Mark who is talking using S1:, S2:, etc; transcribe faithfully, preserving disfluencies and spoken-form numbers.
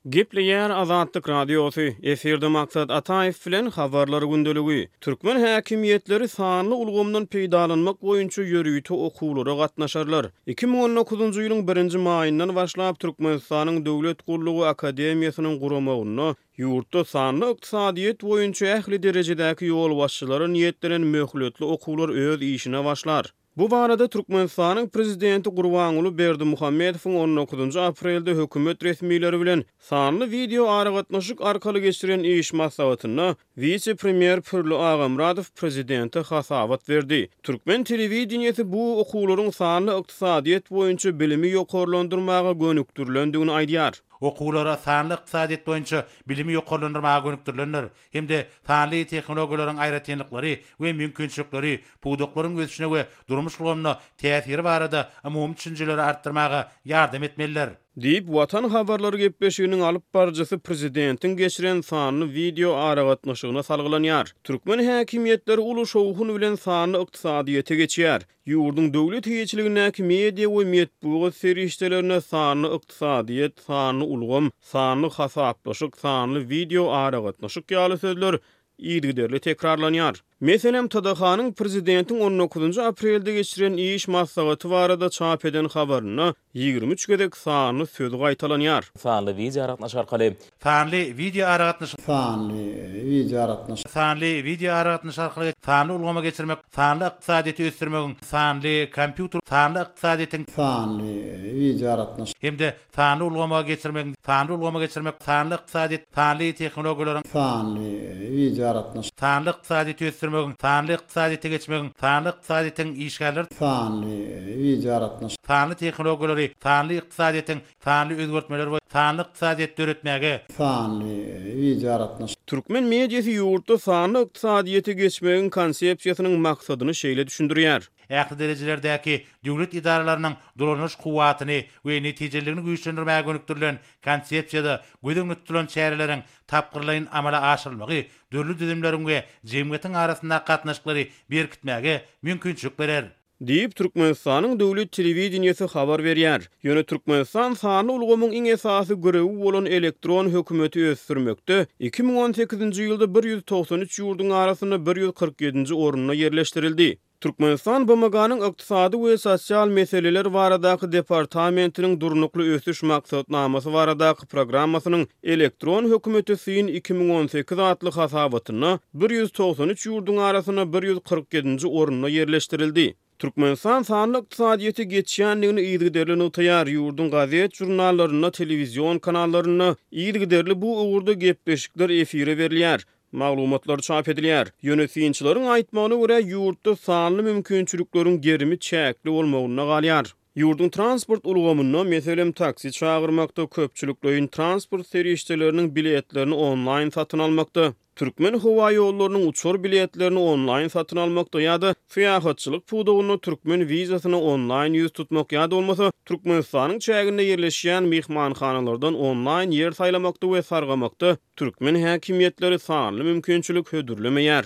S1: Gepleýär Azatlyk Radiosy, efirde Maksat Ataýew bilen Habarlar gündeligi. Türkmen häkimiýetleri sanly ulgamdan peýdalanmak boýunça ýörite okuwlara gatnaşarlar. Iki müň on dokuzynjy ýylyň birinji maýyndan başlap Türkmenistanyň Döwlet gullugy akademiýasynyň guramagynda ýurtda sanly ykdysadyýet boýunça ähli derejedäki ýolbaşçylara niýetlenen möhletli okuwlar öz işine başlar. Bu barada Türkmenistanyň Prezidenti Gurbanguly Berdimuhamedowyň on dokuzynjy aprelde hökümet resmileri bilen sanly wideo aragatnaşyk arkaly geçiren iş maslahatynda wise-premýer Pürli Agamyradow prezidente hasabat berdi. Türkmen telewideniýesi bu okuwlaryň sanly ykdysadyýet boýunça bilimi ýokarlandyrmaga gönükdirilendigini aýdýar.
S2: Okuwlara sanly ykdysadyýet boýunça bilimi ýokarlandyrmaga gönükdirilendir hem-de sanly tehnologiýalaryň aýratynlyklary we mümkinçilikleri, pudaklaryň ösüşine we durmuş ulgamyna täsiri barada umumy düşünjeleri artdyrmaga ýardam etmelidir.
S1: Diýip, Watan habarlary gepleşiginiň alyp baryjysy prezidentiň geçiren sanly wideo aragatnaşygyna salgylanýar. Türkmen häkimiýetleri uly şowhun bilen sanly ykdysadyýete geçýär. Ýurduň döwlet eýeçiligindäki media we metbugat serişdelerine sanly ykdysadyýet, sanly ulgam, sanly hasaplaşyk, sanly wideo aragatnaşyk ýaly sözler yzygiderli tekrarlanýar. Meselem, T D H-nyň prezidentiň on dokuzynjy aprelde geçiren iş maslahaty barada çap eden habarynda ýigrimi üç gezek sanly sözi gaýtalanýar.
S3: Sanly wideo aragatnaşyk arkaly.
S2: Sanly wideo aragatnaşyk.
S4: Sanly wideo aragatnaşyk.
S2: Sanly wideo aragatnaşyk arkaly sanly ulgama geçirmek, sanly ykdysadyýeti ösdürmegiň, sanly kompýuter, sanly ykdysadyýetiň,
S4: Sanly wideo aragatnaşyk.
S2: hem-de sanly ulgama geçirmegiň, sanly ulgama geçirmek, sanly ykdysadyýet, sanly tehnologiýalaryň,
S4: Sanly wideo aragatnaşyk.
S2: sanly ykdysadyýeti ösdürmegiň, sanly ykdysadyýete geçmegiň, sanly ykdysadyýetiň işgärler,
S4: Sanly wideo aragatnaşyk.
S2: sanly tehnologiýalary, sanly ykdysadyýetiň, sanly özgertmeler we sanly ykdysadyýet döretmäge,
S4: Sanly wideo aragatnaşyk.
S1: Türkmen mediasy ýurtda sanly ykdysadyýete geçmegiň konsepsiýasynyň maksadyny şeýle düşündirýär.
S2: Ähli derejelerdäki döwlet edaralarynyň dolanyş kuwwatyny we netijeliligini güýçlendirmäge gönükdirilen konsepsiýada göz öňünde tutulan çäreleriň tapgyrlaýyn amala aşyrylmagy dürli düzümleriň we jemgyýetiň arasyndaky gatnaşyklary berkitmäge mümkinçilik berer.
S1: Diýip, Türkmenistanyň döwlet telewideniýesi habar berýär. Ýöne Türkmenistan sanly ulgamyň iň esasy görevi bolan elektron hökümeti ösdürmekde iki müň on sekizinji ýylda bir ýüz togsan üç ýurduň arasynda bir ýüz kyrk ýedinji orunda ýerleşdirildi. Türkmenistan B M G-nyň ykdysady we sosial meseleler baradaky departamentiniň durnukly ösüş maksatnamasy baradaky programmasynyň elektron hökümeti syn iki müň on sekiz atly hasabatynda bir ýüz togsan üç ýurduň arasynda bir ýüz kyrk ýedinji orunda ýerleşdirildi. Türkmenistan sanly ykdysadyýete geçýändigini yzygiderli nygtaýar. Ýurduň gazet jurnallarynda, telewizion kanallarynda yzygiderli bu ugurda gepleşikler efire berilýär. Maglumatlar çap edilýär. Ýöne synçylaryň aýtmagyna görä ýurtda sanly mümkinçilikleriň gerimi çäkli bolmagynda galýar. Ýurduň transport ulgamynda, meselem, taksi çagyrmakda, köpçülikleýin transport serişdeleriniň biletlerini onlaýn satyn almakda, Türkmen howa ýollarynyň uçar biletlerini onlaýn satyn almakda ýa-da syýahatçylyk pudagynda türkmen wizasyny onlaýn ýüz tutmak ýa-da bolmasa Türkmenistanyň çäginde ýerleşýän myhmanhanalardan onlaýn ýer saýlamakda we sargamakda türkmen häkimiýetleri sanly mümkinçilik hödürlemeýär.